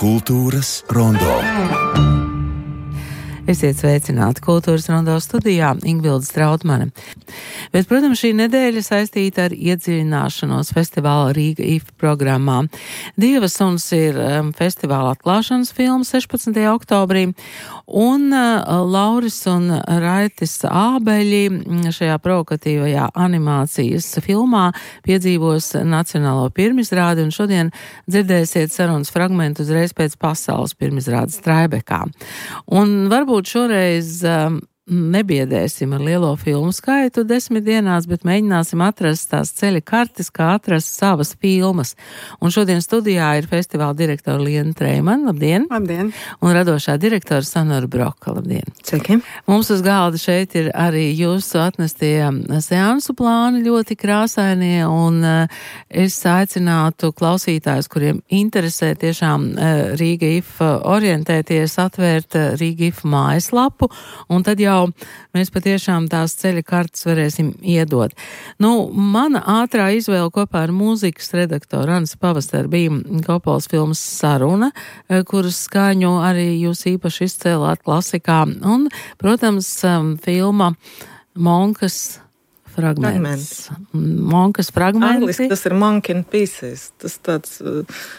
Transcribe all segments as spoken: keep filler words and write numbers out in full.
Kultūras rondo. Esiet sveicināti Kultūras rondo studijā Ingvilde Strautmane. Bet, protams, šī nedēļa saistīta ar iedziļināšanos festivāla Rīga I F programmā. Dieva suns ir um, festivāla atklāšanas filma sešpadsmitajā oktobrī, un uh, Lauris un Raitis Ābeļi šajā provokatīvajā animācijas filmā piedzīvos nacionālo pirmizrādi, un šodien dzirdēsiet sarunas fragmentu uzreiz pēc pasaules pirmizrādes Traibekā. Un varbūt šoreiz um, nebiedēsim ar lielo filmu skaitu desmit dienās, bet mēģināsim atrast tās ceļa kartes, kā atrast savas filmas. Un šodien studijā ir festivāla direktora Liena Treimana, labdien! Labdien! Un radošā direktora Sonora Broka, labdien! Sveiki! Mums uz galda šeit ir arī jūsu atnestie seansu plāni ļoti krāsainie, un es aicinātu klausītājus, kuriem interesē tiešām Rīga I F orientēties, atvērt Rīga I F mājaslapu, un tad jau mēs patiešām tās ceļa kartes varēsim iedot. Nu, mana ātrā izvēle kopā ar mūzikas redaktoru Anasi Pavasaru bija Kopolas filmas Saruna, kuras skaņu arī jūs īpaši izcēlāt klasikā, un, protams, filma Monkas fragments. Monkas fragmenti. Angliski tas ir Monkey in Pieces. Tas tāds...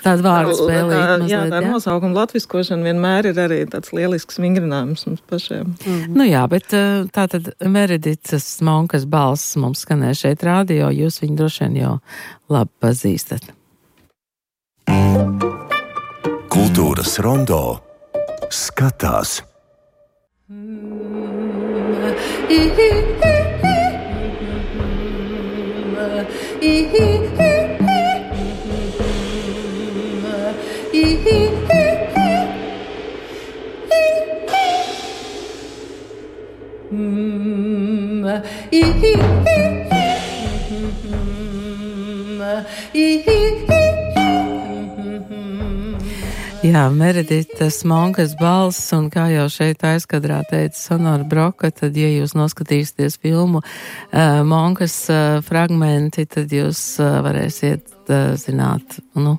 Tāda vārdu spēlīt tā, mazliet, jā, tā jā? nosaukuma latviskošana vienmēr ir arī tāds lielisks vingrinājums mums pašiem. Mm. Nu jā, bet tātad Meredicas Monkas balss mums skanē šeit rādio, jūs viņu droši vien jau labi pazīstat. Kultūras rondo skatās. Jā, Mereditas Monkas balss, un kā jau šeit aizkadrā teica Sonora Broka, tad, ja jūs noskatīsieties filmu uh, Monkas uh, fragmenti, tad jūs uh, varēsiet uh, zināt, nu,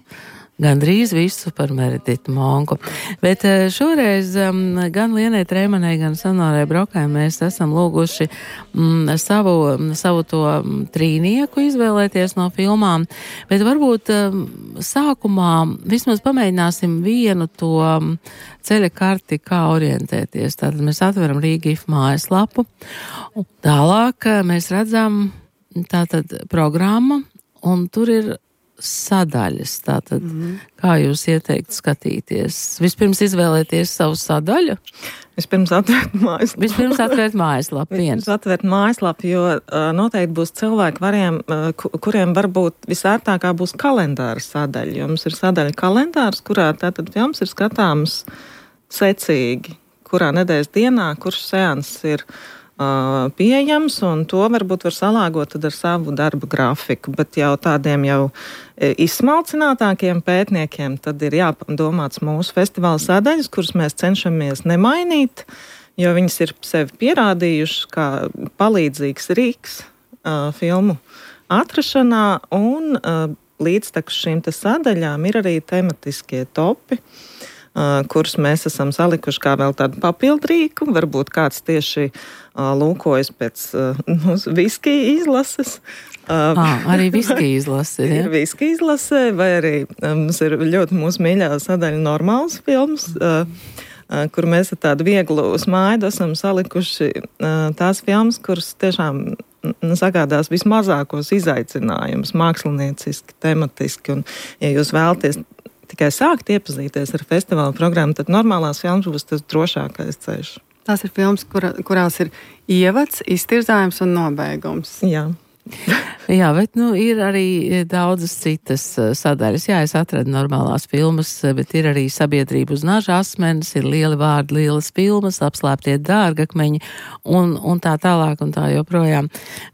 gandrīz visu par Mereditu Monku. Bet uh, šoreiz um, gan Lienai Treimanai, gan Sonorai Brokai mēs esam lūguši um, savu, savu to um, trīnieku izvēlēties no filmām, bet varbūt um, sākumā vismaz pamēģināsim vienu to um, ceļa karti, kā orientēties. Tātad mēs atveram Rīga I F mājaslapu, un tālāk mēs redzam tātad programma, un tur ir sadaļas. Tātad, mm-hmm. kā jūs ieteiktu skatīties? Vispirms izvēlēties savu sadaļu? Vispirms atvērt mājaslapu. Vispirms atvērt mājaslapu. Vispirms atvērt mājaslapu, jo uh, noteikti būs cilvēki, variem, uh, kuriem varbūt visērtākā būs kalendāra sadaļa. Jo mums ir sadaļa kalendārs, kurā tātad films ir skatāms secīgi, kurā nedēļas dienā, kurš seans ir Uh, pieejams, un to varbūt var salāgot tad ar savu darba grafiku, bet jau tādiem jau izsmalcinātākiem pētniekiem tad ir jādomāts mūsu festivāla sadaļas, kuras mēs cenšamies nemainīt, jo viņas ir sevi pierādījušas kā palīdzīgs rīks uh, filmu atrašanā, un uh, līdztekus šīm te sadaļām ir arī tematiskie topi, Uh, kurus mēs esam salikuši kā vēl tādu papildrīku. Varbūt kāds tieši uh, lūkojas pēc uh, viskija izlases. Uh, ah, arī viskija izlase. Ir viskija izlase, vai arī um, mums ir ļoti mūsu mīļā sadaļa normāls films, uh, uh, kur mēs ar tādu vieglu smaidu esam salikuši uh, tās filmas, kuras tiešām sagādās vismazākos izaicinājumus, mākslinieciski, tematiski, un ja jūs vēlaties tikai sākt iepazīties ar festivāla programmu, tad normālās filmas būs tas drošākais ceļš. Tās ir filmas, kura, kurās ir ievads, iztirzājums un nobeigums. Jā. Jā, bet nu, ir arī daudzas citas sadaļas. Jā, es atradu normālās filmas, bet ir arī Sabiedrība uz naža asmenis, ir lieli vārdi, lielas filmas, Apslēptie dārgakmeņi un, un tā tālāk un tā joprojām.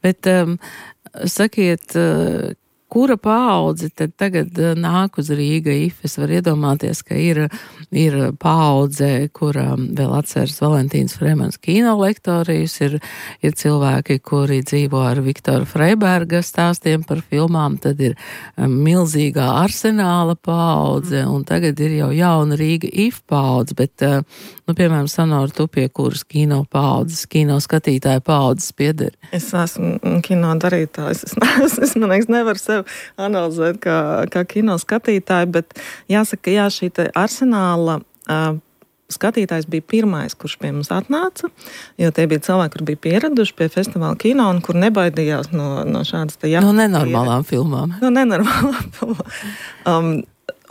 Bet um, sakiet, kura paudze tad tagad nāk uz Rīga I F? Es varu iedomāties, ka ir, ir paudze, kura vēl atceras Valentīnas Fremans kino lektorijas, ir, ir cilvēki, kuri dzīvo ar Viktora Freiberga stāstiem par filmām, tad ir milzīgā arsenāla paudze, un tagad ir jau jauna Rīga I F paudze, bet, nu, piemēram, Sonora, tu pie kuras kino paudzes, kino skatītāja paudzes piederi? Es esmu kino darītājs. Es, es, es man liekas, nevaru sev analizēt kā, kā kino skatītāji, bet jāsaka, jā, šī te arsenāla uh, skatītājs bija pirmais, kurš pie mums atnāca, jo tie bija cilvēki, kur bija pieraduši pie festivāla kino un kur nebaidījās no, no šādas te jā. No nenormālām filmām. No nenormālām filmām. Um,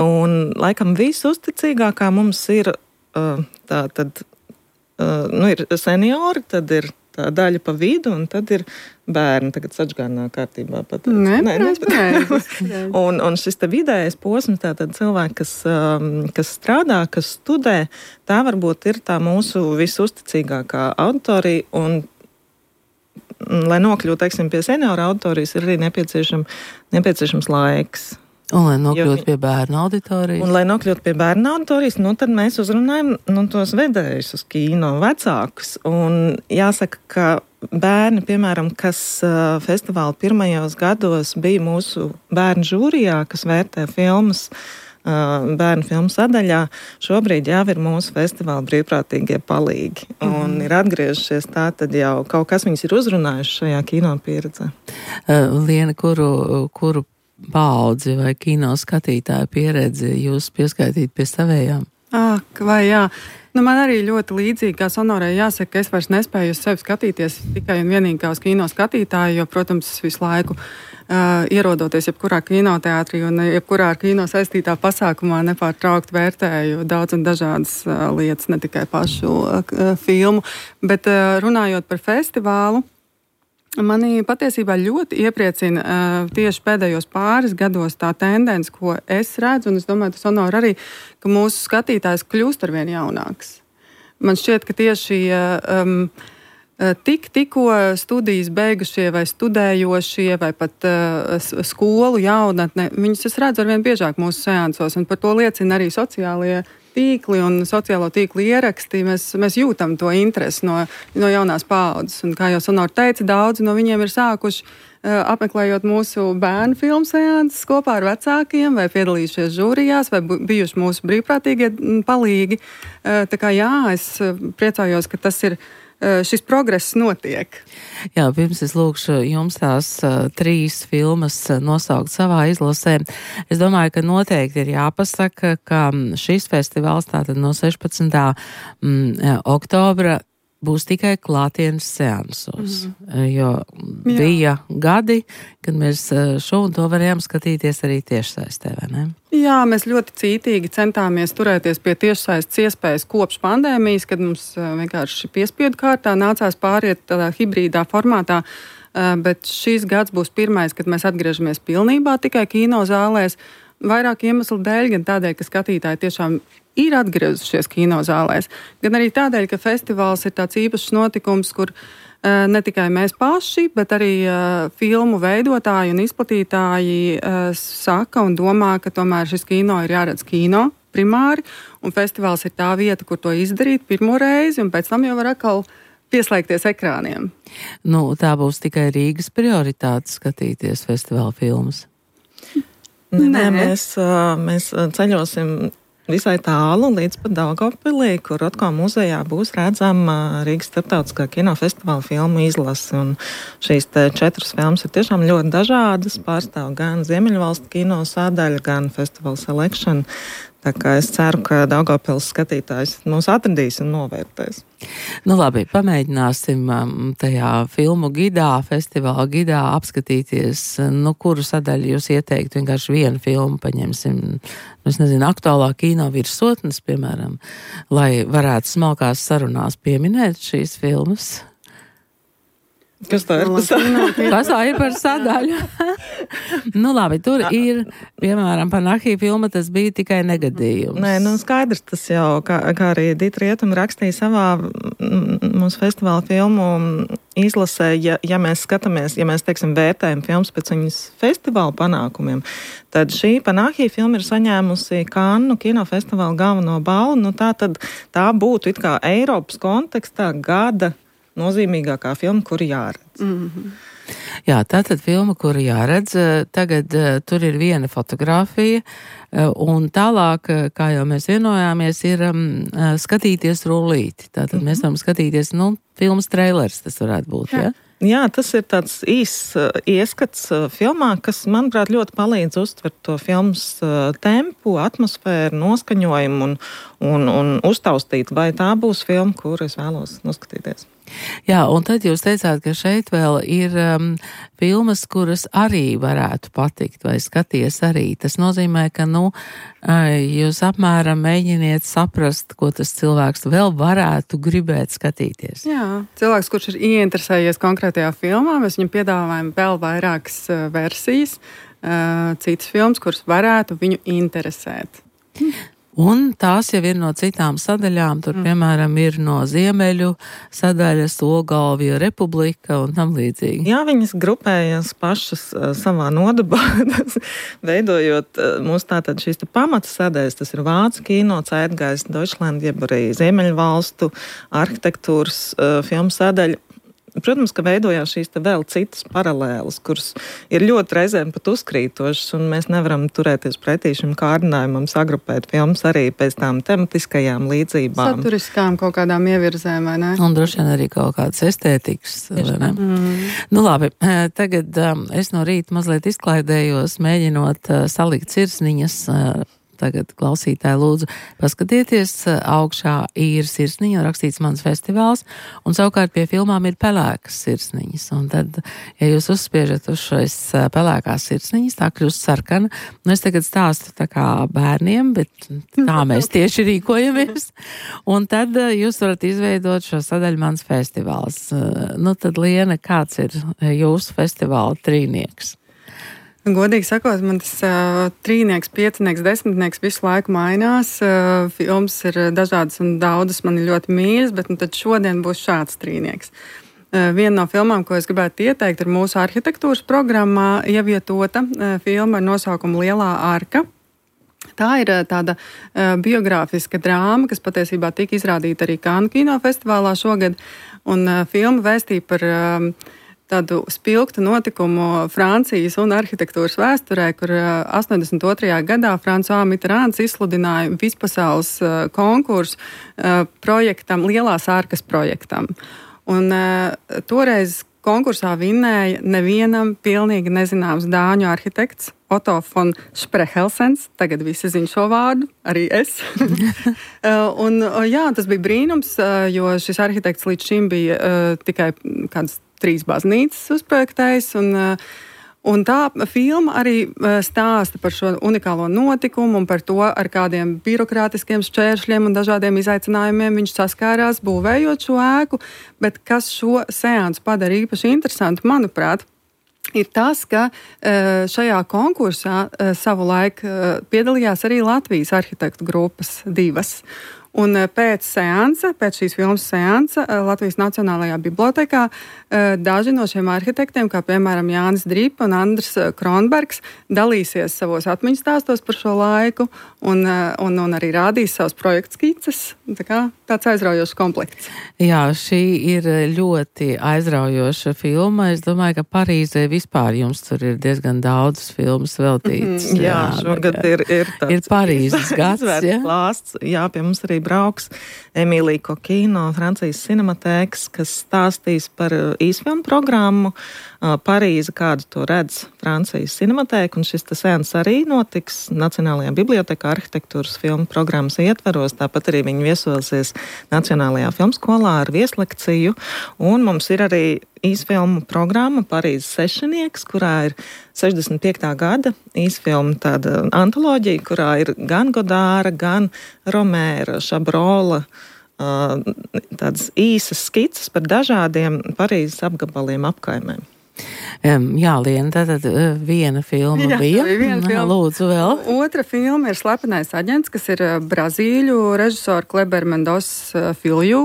un laikam visuzticīgākā mums ir uh, tā tad, uh, nu ir seniori, tad ir tā daļa pa vidu, un tad ir bērni. Tagad sačgārnā kārtībā pateicu. Nē, nē, nē. un, un šis te vidējais posms, tātad cilvēki, kas, um, kas strādā, kas studē, tā varbūt ir tā mūsu visuzticīgākā auditorija, un, lai nokļūtu, teiksim, pie seniora auditorijas, ir arī nepieciešam, nepieciešams laiks. Un, lai nokļūtu pie bērnu auditorijas. Un, lai nokļūtu pie bērnu auditorijas, nu, tad mēs uzrunājam nu, tos vedējus uz kino, vecākus. Un jāsaka, ka bērni, piemēram, kas uh, festivāla pirmajos gados bija mūsu bērnu žūrijā, kas vērtē filmas, uh, bērnu filmu sadaļā, šobrīd jau ir mūsu festivāla brīvprātīgie palīgi. Mm. Un ir atgriežušies tā, tad jau kaut kas viņus ir uzrunājuši šajā kino pieredzē. Uh, Liena, kuru, kuru paudzi vai kino skatītāju pieredzi jūs pieskaitīt pie savējām? Ak, vai jā. Nu, man arī ļoti līdzīgi, kā Sonorai jāsaka, ka es vairs nespēju uz sevi skatīties tikai un vienīgi kā uz kino skatītāju, jo, protams, visu laiku uh, ierodoties jebkurā kinoteātrī un jebkurā ar kino saistītā pasākumā nepārtraukt vērtēju daudz un dažādas uh, lietas, ne tikai pašu uh, filmu. Bet uh, runājot par festivālu, mani patiesībā ļoti iepriecina uh, tieši pēdējos pāris gados tā tendence, ko es redzu, un es domāju, tas Sonora arī, ka mūsu skatītājs kļūst arvien jaunāks. Man šķiet, ka tieši um, tik, tikko studijas beigušie vai studējošie vai pat uh, skolu jaunatne, viņus es redzu arvien biežāk mūsu seansos, un par to liecina arī sociālie tīkli un sociālo tīklu ieraksti, mēs, mēs jūtam to interesi no, no jaunās paaudzes. Un, kā jau Sonora teica, daudzi no viņiem ir sākuši uh, apmeklējot mūsu bērnu filmu seanses kopā ar vecākiem, vai piedalījušies žūrijās, vai bijuši mūsu brīvprātīgie palīgi. Uh, tā kā jā, es priecājos, ka tas ir šis progress notiek. Jā, pirms es lūkšu jums tās uh, trīs filmas nosaukt savā izlasē. Es domāju, ka noteikti ir jāpasaka, ka šis festivāls tātad no sešpadsmitā Mm, oktobra būs tikai klātienes seansos, mm. jo Jā. bija gadi, kad mēs šo un to varējām skatīties arī tiešsaistē, vai ne? Jā, mēs ļoti cītīgi centāmies turēties pie tiešsaistes iespējas kopš pandēmijas, kad mums vienkārši piespiedu kārtā nācās pāriet tādā hibrīdā formātā, bet šīs gads būs pirmais, kad mēs atgriežamies pilnībā tikai kino zālēs, vairāk iemeslu dēļ, gan tādēļ, ka skatītāji tiešām ir atgriezušies kinozālēs, gan arī tādēļ, ka festivāls ir tāds īpašs notikums, kur uh, ne tikai mēs paši, bet arī uh, filmu veidotāji un izplatītāji uh, saka un domā, ka tomēr šis kino ir jāredz kino primāri, un festivāls ir tā vieta, kur to izdarīt pirmo reizi, un pēc tam jau var atkal pieslēgties ekrāniem. Nu, tā būs tikai Rīgas prioritāte skatīties festivāla filmas. Nē, Nē. Mēs, mēs ceļosim visai tālu līdz pat Daugavpilī, kur Rotko muzejā būs redzama Rīgas starptautiskā kinofestivāla filmu izlase. Un šīs te četras filmas ir tiešām ļoti dažādas, pārstāv gan Ziemeļvalstu kino sadaļa, gan Festival Selection. Tā kā es ceru, ka Daugavpils skatītājs mūs atradīs un novērtēs. Nu labi, pamēģināsim tajā filmu gidā, festivāla gidā apskatīties, nu kuru sadaļu jūs ieteiktu, vienkārši vienu filmu paņemsim, es nezinu, aktuālā kino virsotnes, piemēram, lai varētu smalkās sarunās pieminēt šīs filmas. Kas tā ir par sadaļu? Kas tā ir par sadaļu? Nu labi, tur ir, piemēram, Panahi filma, tas bija tikai negadījums. Nē, nu skaidrs, tas jau, kā, kā arī Dita Rietuma rakstīja savā mūsu festivāla filmu izlasē, ja, ja mēs skatāmies, ja mēs, teiksim, vērtējam filmas pēc viņas festivāla panākumiem, tad šī Panahi filma ir saņēmusi Kannu kinofestivāla galveno balvu, nu tā tad tā būtu it kā Eiropas kontekstā gada nozīmīgākā filma, kuru jāredz. Mm-hmm. Jā, tātad filma, kuru jāredz, tagad uh, tur ir viena fotografija, uh, un tālāk, uh, kā jau mēs vienojāmies, ir um, uh, skatīties rullīti. Tātad mm-hmm. mēs varam skatīties, nu, filmas trailers tas varētu būt, jā? Ja? Jā, tas ir tāds īss uh, ieskats uh, filmā, kas, manuprāt, ļoti palīdz uztvert to filmas uh, tempu, atmosfēru, noskaņojumu un, un, un uztaustīt, vai tā būs filma, kuru es vēlos noskatīties. Jā, un tad jūs teicāt, ka šeit vēl ir um, filmas, kuras arī varētu patikt, vai skaties arī. Tas nozīmē, ka, nu, jūs apmēram mēģiniet saprast, ko tas cilvēks vēl varētu gribēt skatīties. Jā, cilvēks, kurš ir ieinteresējies konkrētajā filmā, mēs viņam piedāvājam vēl vairākas uh, versijas, uh, citas filmas, kuras varētu viņu interesēt. Un tās jau ir no citām sadaļām, tur, mm. piemēram, ir no Ziemeļu sadaļas, Ogālvija republika un tam līdzīgi. Jā, viņas grupējas pašas uh, savā nodabā, veidojot uh, mūsu tātad šīs te pamata sadaļas, tas ir Vācu kino, Zeitgeist, Deutschland, jeb arī Ziemeļu valstu arhitektūras uh, filmu sadaļa. Protams, ka veidojās šīs te vēl citas paralēlas, kuras ir ļoti reizēm pat uzkrītošas, un mēs nevaram turēties pretī šim kārdinājumam sagrupēt filmas arī pēc tām tematiskajām līdzībām. Saturiskām kaut kādām ievirzēm, vai ne? Un droši vien arī kaut kādas estētikas, vai ne? Mm. Nu labi, tagad um, es no rīta mazliet izklaidējos, mēģinot uh, salikt sirsniņas. Uh, Tagad klausītāji lūdzu paskatieties, augšā ir sirsniņa, rakstīts mans festivāls, un savukārt pie filmām ir pelēkas sirsniņas. Un tad, ja jūs uzspiežat uz šais pelēkās sirsniņas, tā kļūst sarkana. Nu, es tagad stāstu tā kā bērniem, bet tā mēs tieši rīkojamies. Un tad jūs varat izveidot šo sadaļu mans festivāls. Nu, tad, Liena, kāds ir jūsu festivāla trīnieks? Godīgi sakot, man tas uh, trīnieks, piecinieks, desmitnieks visu laiku mainās. Uh, filmas ir dažādas un daudzas man ir ļoti mīļas, bet nu, tad šodien būs šāds trīnieks. Uh, viena no filmām, ko es gribētu ieteikt, ir mūsu arhitektūras programmā ievietota uh, filma ar nosaukumu Lielā arka. Tā ir uh, tāda uh, biogrāfiska drāma, kas patiesībā tika izrādīta arī Kannu kinofestivālā šogad, un uh, filma vēstīja par uh, tādu spilgtu notikumu Francijas un arhitektūras vēsturē, kur astoņdesmit otrajā gadā François Mitterrands izsludināja vispasaules konkursu projektam, Lielās arkas projektam. Un toreiz konkursā vinnēja nevienam pilnīgi nezināms dāņu arhitekts Otto von Sprehelsens, tagad visi zina šo vārdu, arī es. Un jā, tas bija brīnums, jo šis arhitekts līdz šim bija uh, tikai kādas trīs baznīcas uzprojektējis, un, un tā filma arī stāsta par šo unikālo notikumu un par to, ar kādiem birokrātiskiem šķēršļiem un dažādiem izaicinājumiem viņš saskārās būvējot šo ēku, bet kas šo seansu padara īpaši interesantu, manuprāt, ir tas, ka šajā konkursā savulaik piedalījās arī Latvijas arhitektu grupas divas. Un pēc seansa, pēc šīs filmas seansa Latvijas Nacionālajā bibliotēkā daži no šiem arhitektiem, kā piemēram Jānis Drīpa un Andris Kronbergs, dalīsies savos atmiņas stāstos par šo laiku un, un, un arī rādīs savus projektu skices. Tā kā tāds aizraujošs komplekts. Jā, šī ir ļoti aizraujoša filma. Es domāju, ka Parīzē vispār jums tur ir diezgan daudz filmas veltītas. Mm, jā, jā, šogad ir, ir tāds ir Parīzes gads. Jā? Klāsts. Jā, pie mums arī brauks Emīlija Kokī no Francijas Cinematēkas, kas stāstīs par īsfilmu programmu Parīze, kādu to redz Francijas Cinematēka, un šis seans arī notiks Nacionālajā bibliotēkā arhitektūras filmu programmas ietvaros, tāpat arī viņi viesosies Nacionālajā filmskolā ar vieslekciju, un mums ir arī īsfilmu programma Parīzes sešinieks, kurā ir sešdesmit piektā gada īsfilmu tāda antoloģija, kurā ir gan Godāra, gan Romēra, Šabrola tādas īsas skices par dažādiem Parīzes apgabaliem apkaimēm. Um, jā, Liena, tātad viena filma jā, bija. Viena filma. Lūdzu vēl. Otra filma ir Slepenais aģents, kas ir brazīļu režisora Kleber Mendos Filju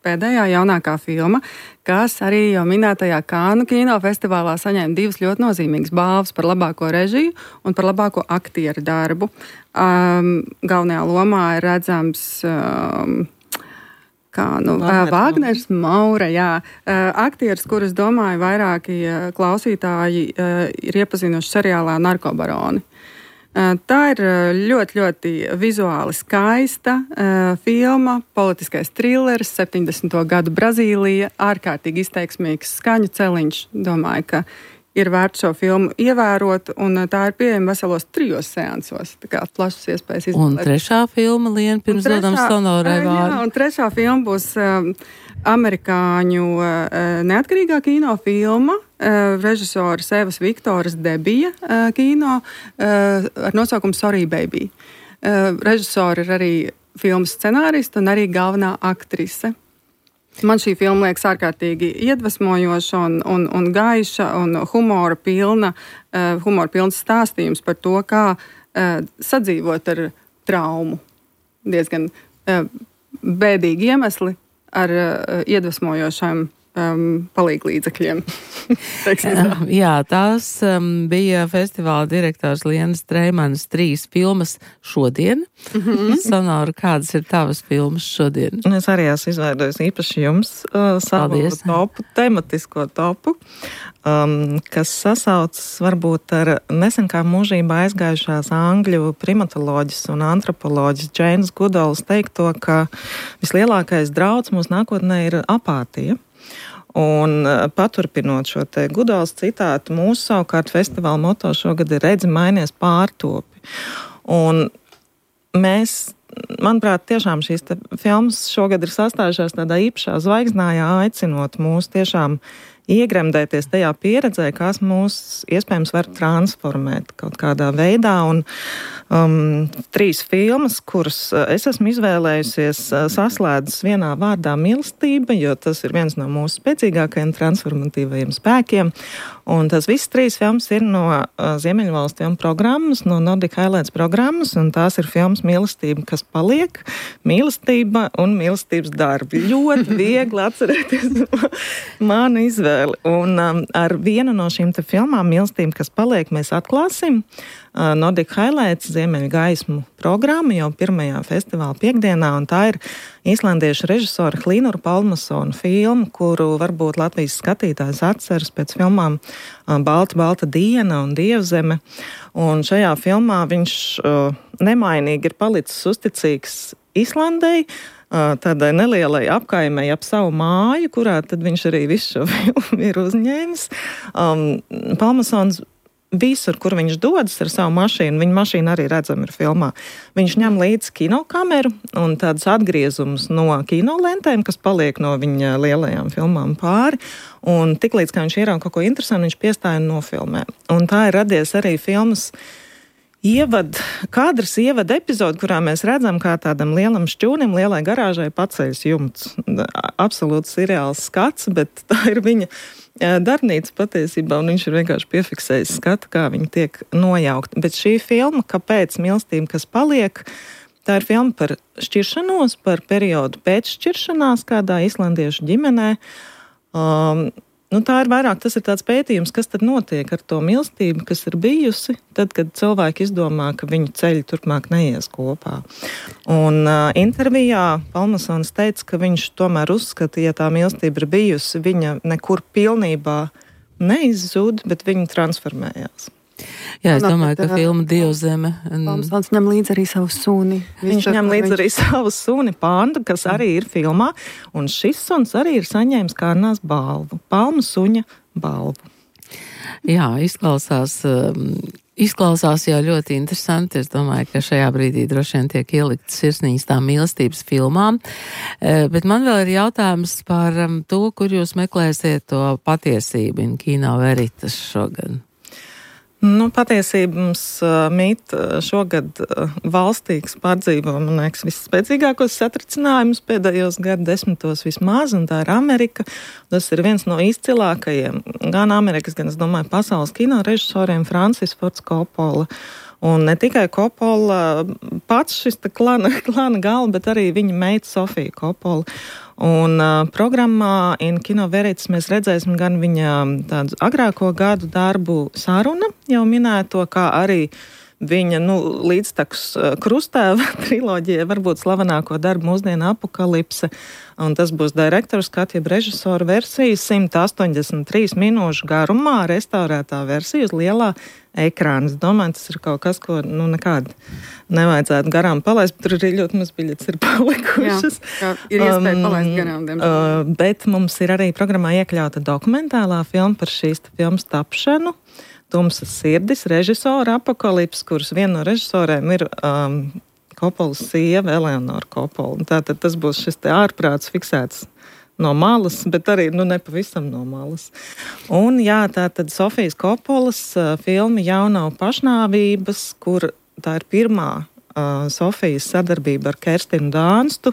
pēdējā jaunākā filma, kas arī jau minētajā Kānu kinofestivālā saņēma divas ļoti nozīmīgas balvas par labāko režiju un par labāko aktieru darbu. Um, galvenajā lomā ir redzams um, Kā, nu, Vāgners, Vāgners Maura, jā. Aktieris, kurus, domāju, vairāki klausītāji ir iepazinuši seriālā Narkobaroni. Tā ir ļoti, ļoti vizuāli skaista filma, politiskais trilleris, septiņdesmito gadu Brazīlija, ārkārtīgi izteiksmīgs skaņu celiņš. Domāju, ka ir vērts šo filmu ievērot, un tā ir pieejama veselos trijos seansos. Tā kā plašas iespējas izvēlēt. Un trešā filma, Liena, pirms dodam Sonorai vārdu. Jā, un trešā filma būs uh, amerikāņu uh, neatkarīgā kino filma, uh, režisoras Evas Viktoras debija uh, kino uh, ar nosaukumu Sorry Baby. Uh, režisori ir arī filmas scenārista un arī galvenā aktrise. Man šī filma liekas ārkārtīgi iedvesmojoša un, un, un gaiša un humora pilna, uh, humora pilns stāstījums par to, kā uh, sadzīvot ar traumu. Diezgan uh, bēdīgi iemesli ar uh, iedvesmojošiem um, palīglīdzekļiem. Jā, tās um, bija festivāla direktors Lienas Streimanas trīs filmas šodien. Mm-hmm. Sonora, kādas ir tavas filmas šodien? Es arī esmu izveidojis īpaši jums uh, savu Paldies. topu, tematisko topu, um, kas sasaucas varbūt ar nesen kā mūžībā aizgājušās angļu primatoloģis un antropoloģis Džeinas Gudols teikto, ka vislielākais drauds mūsu nākotnē ir apātija. Un paturpinot šo te Gudols citātu, mūsu savukārt festivāla moto šogad ir redzi mainies pārtopi. Un mēs, manuprāt, tiešām šīs te filmas šogad ir sastājušās tādā īpašā zvaigznājā, aicinot mūs tiešām iegremdēties tajā pieredzē, kas mūs iespējams var transformēt kaut kādā veidā. Un um, trīs filmas, kuras es esmu izvēlējusies, saslēdzas vienā vārdā mīlestība, jo tas ir viens no mūsu spēcīgākajiem transformatīvajiem spēkiem. Un tas viss trīs filmas ir no uh, Ziemeļvalstu filmu programmas, no Nordic Highlights programmas, un tās ir filmas Mīlestība, kas paliek, Mīlestība un Mīlestības darbi. Ļoti viegli atcerēties manu izvēli. Un um, ar vienu no šīm te filmām Mīlestība, kas paliek, mēs atklāsim uh, Nordic Highlights Ziemeļu gaismu programmu jau pirmajā festivāla piekdienā, un tā ir īslandiešu režisora Hlīnura Pálmasona filma, kuru varbūt Latvijas skatītājs atceras pēc filmām uh, Balta, balta diena un Dievzeme. Un šajā filmā viņš uh, nemainīgi ir palicis uzticīgs Islandei, tādai nelielai apkaimei ap savu māju, kurā tad viņš arī visu šo filmu ir uzņēmis. Um, Pálmasons visur, kur viņš dodas ar savu mašīnu, viņa mašīna arī redzama ir filmā. Viņš ņem līdzi kinokameru un tādas atgriezumus no kinolentēm, kas paliek no viņa lielajām filmām pāri. Un tiklīdz, kā viņš ierauga kaut ko interesantu, viņš piestāja un nofilmē. Un tā ir radies arī filmas Ievad, kadrs ievada epizodi, kurā mēs redzam, kā tādam lielam šķūnim, lielai garāžai paceļas jumts. Absolūts seriāls skats, bet tā ir viņa darbnīca patiesībā, un viņš ir vienkārši piefiksējis skatu, kā viņa tiek nojaukta. Bet šī filma, kāpēc Mīlestība, kas paliek, tā ir filma par šķiršanos, par periodu pēc šķiršanās kādā islandiešu ģimenē. Um, Nu, tā ir vairāk, tas ir tāds pētījums, kas tad notiek ar to mīlestību, kas ir bijusi, tad, kad cilvēki izdomā, ka viņu ceļi turpmāk neies kopā. Un uh, intervijā Pálmasons teica, ka viņš tomēr uzskata, ja tā mīlestība ir bijusi, viņa nekur pilnībā neizzūd, bet viņa transformējās. Jā, es domāju, ka filma Dievzeme. Pálmasons ņem līdzi arī savu suni. Viņš ņem līdzi arī savu suni Pandu, kas arī ir filmā, un šis suns arī ir saņēmis Kārnās balvu, Palmu suņa balvu. Jā, izklausās, izklausās jau ļoti interesanti. Es domāju, ka šajā brīdī droši vien tiek ieliktas sirsniņas tām mīlestības filmām. Bet man vēl ir jautājums par to, kur jūs meklēsiet to patiesību in Kino Veritas šogad. Nu, patiesībā mums uh, mīt uh, šogad uh, valstīgs pārdzīvo, man liekas, visspēcīgākos satricinājumus pēdējos gadu desmitos vismaz, un tā ir Amerika. Tas ir viens no izcilākajiem, gan Amerikas, gan, es domāju, pasaules kino režisoriem, Francis Fords Coppola. Un ne tikai Coppola, pats šis klana, klana galva, bet arī viņa meita Sofija Coppola. Un uh, programmā In Kino Veritas mēs redzēsim gan viņa tādu agrāko gadu darbu Saruna, jau minēto, kā arī viņa, nu, līdztekus uh, Krustēva triloģija, varbūt slavenāko darbu mūsdienu Apokalipse. Un tas būs direktora skatu, jeb režisora versija, simt astoņdesmit trīs minūšu garumā, restaurētā versija uz lielā ekrāna. Es domāju, tas ir kaut kas, ko, nu, nekādi nevajadzētu garām palaist, bet tur arī ļoti maz biļetes ir palikušas. Jā, ir iespēja um, palaist garām, diemžēl. Uh, bet mums ir arī programmā iekļauta dokumentālā filma par šīs filmas tapšanu. Tumsas sirdis, režisora Apokalips, kuras viena no režisoriem ir um, Coppolas sieva Eleonora Coppola. Tātad tas būs šis te ārprāts fiksēts no malas, bet arī, nu, nepavisam no malas. Un, jā, tātad Sofijas Coppolas uh, filma Jaunā pašnāvības, kur tā ir pirmā uh, Sofijas sadarbība ar Kerstinu Dānstu.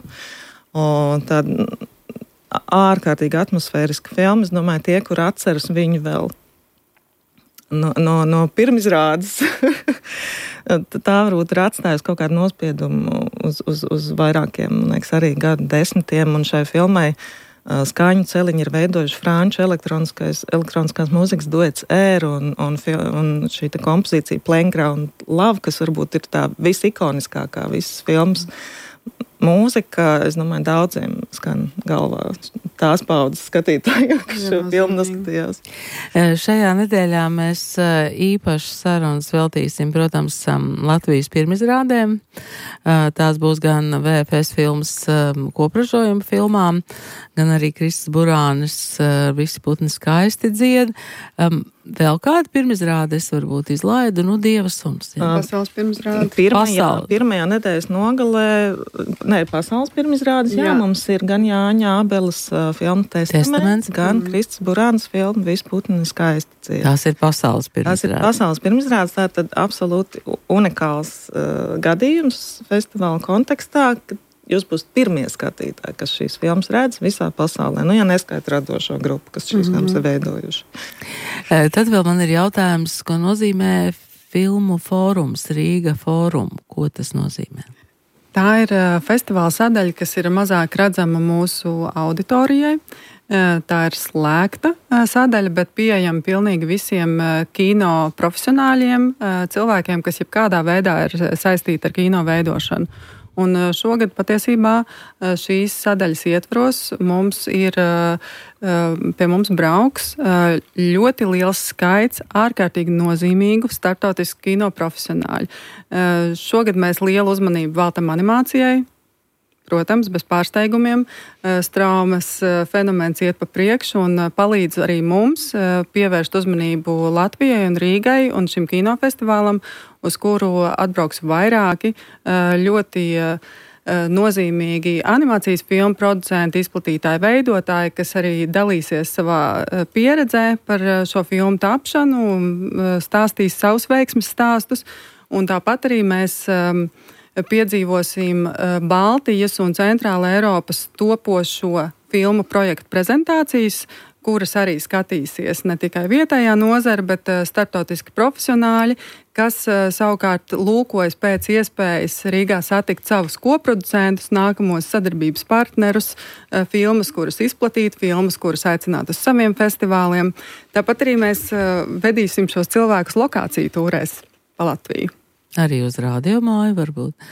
Un tad ārkārtīgi atmosfēriska filma. Es domāju, tie, kur atceras viņu vēl no, no, no pirmizrādes, tā varbūt ir atstājusi kaut kādu nospiedumu uz, uz, uz vairākiem, man liekas, arī gadu desmitiem, un šai filmai uh, skaņu celiņi ir veidojuši franču elektroniskās mūzikas duets Air un, un, un šī ta kompozīcija Playground Love, kas varbūt ir tā visikoniskākā visas filmas mūzika, es domāju, daudziem skan galvā tās paudzes skatītājiem, kas šo filmu noskatījās. Šajā nedēļā mēs īpaši sarunas veltīsim, protams, Latvijas pirmizrādēm. Tās būs gan V F S filmas kopražojuma filmām, gan arī Kristis Burānis Visi putni skaisti dzied. Vēl kādu pirmizrādi es varbūt izlaidu, nu, Dieva suns. Jā. Pasaules pirmizrādi. Pirmajā, pirmajā nedēļas nogalē, ne, pasaules pirmizrādes, jā, jā, mums ir gan Jāņa Ābeles uh, filma Testaments, Testaments, gan mm. Kristis Burāns filma Visi putni skaisti dzied. Tās ir pasaules pirmizrādes. Tās ir pasaules pirmizrādes, tā tad absolūti unikāls uh, gadījums festivāla kontekstā, kad jūs būsiet pirmie skatītāji, kas šīs filmas redz visā pasaulē. Nu, ja neskaita radošo grupu, kas šīs mm-hmm. filmas ir veidojuši. Tad vēl man ir jautājums, ko nozīmē filmu fórums, Rīga fórum. Ko tas nozīmē? Tā ir festivāla sadaļa, kas ir mazāk redzama mūsu auditorijai. Tā ir slēgta sadaļa, bet pieejama pilnīgi visiem kino profesionāļiem, cilvēkiem, kas jebkādā veidā ir saistīti ar kino veidošanu. Un šogad patiesībā šīs sadaļas ietvaros mums ir, pie mums brauks ļoti liels skaits ārkārtīgi nozīmīgu starptautisku kino profesionāļu. Šogad mēs lielu uzmanību veltam animācijai. Protams, bez pārsteigumiem, Straumes fenomens iet pa priekšu un palīdz arī mums pievērst uzmanību Latvijai un Rīgai un šim kinofestivālam, uz kuru atbrauks vairāki ļoti nozīmīgi animācijas filmu producenti, izplatītāji, veidotāji, kas arī dalīsies savā pieredzē par šo filmu tapšanu, stāstīs savus veiksmes stāstus, un tāpat arī mēs piedzīvosim Baltijas un Centrāla Eiropas topošo filmu projektu prezentācijas, kuras arī skatīsies ne tikai vietējā nozara, bet starptautiski profesionāļi, kas savukārt lūkojas pēc iespējas Rīgā satikt savus koproducentus, nākamos sadarbības partnerus, filmas, kuras izplatīt, filmas, kuras aicināt uz saviem festivāliem. Tāpat arī mēs vedīsim šos cilvēkus lokāciju tūrēs pa Latviju. Arī uz radiomāju varbūt.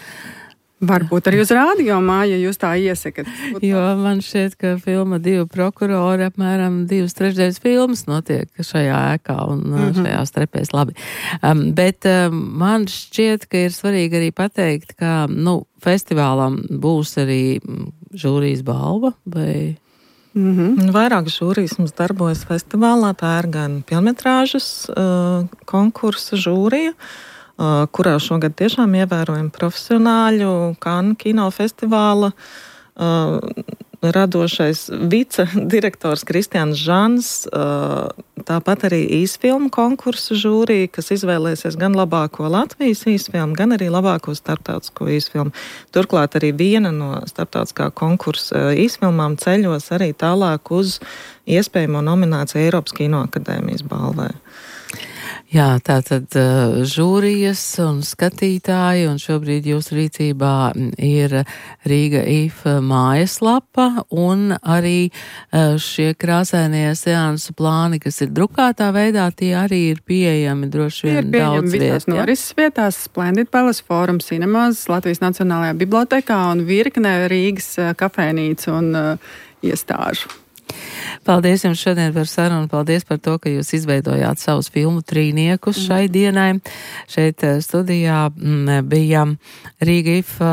Varbūt arī uz radiomāju, ja jūs tā iesakat. Jo man šķiet, ka filma Divi prokurori apmēram divas trešdaļas filmas notiek šajā ēkā un mm-hmm. šajās trepēs labi. Um, bet um, man šķiet, ka ir svarīgi arī pateikt, ka, nu, festivālam būs arī žūrijas balva vai... Mm-hmm. Vairāk žūrijas mums darbojas festivālā, tā ir gan pilnmetrāžas uh, konkursa žūrija, Uh, kurā šogad tiešām ievērojam profesionāļu, Cannes kinofestivāla uh, radošais vicedirektors Kristians Žans, uh, tāpat arī īsfilmu konkursu žūrija, kas izvēlēsies gan labāko Latvijas īsfilmu, gan arī labāko starptautisko īsfilmu. Turklāt arī viena no starptautiskā konkursa īsfilmām ceļos arī tālāk uz iespējamo nomināciju Eiropas Kinoakadēmijas balvai. Jā, tātad uh, žūrijas un skatītāji, un šobrīd jūsu rīcībā ir Rīga I F mājaslapa, un arī uh, šie krāsainie seansu plāni, kas ir drukātā veidā, tie arī ir pieejami droši vien daudz vietā. Visās norises vietās, Splendid Palace Forum, Cinemas, Latvijas Nacionālajā bibliotēkā un virknē Rīgas uh, kafēnīcu un uh, iestāžu. Paldies jums šodien par sarunu, paldies par to, ka jūs izveidojāt savus filmu trīniekus šai dienai. Šeit studijā bija Rīga I F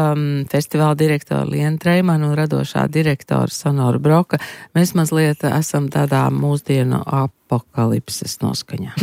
festivāla direktora Liena Treimana un radošā direktora Sonora Broka. Mēs mazliet esam tādā mūsdienu apokalipses noskaņā.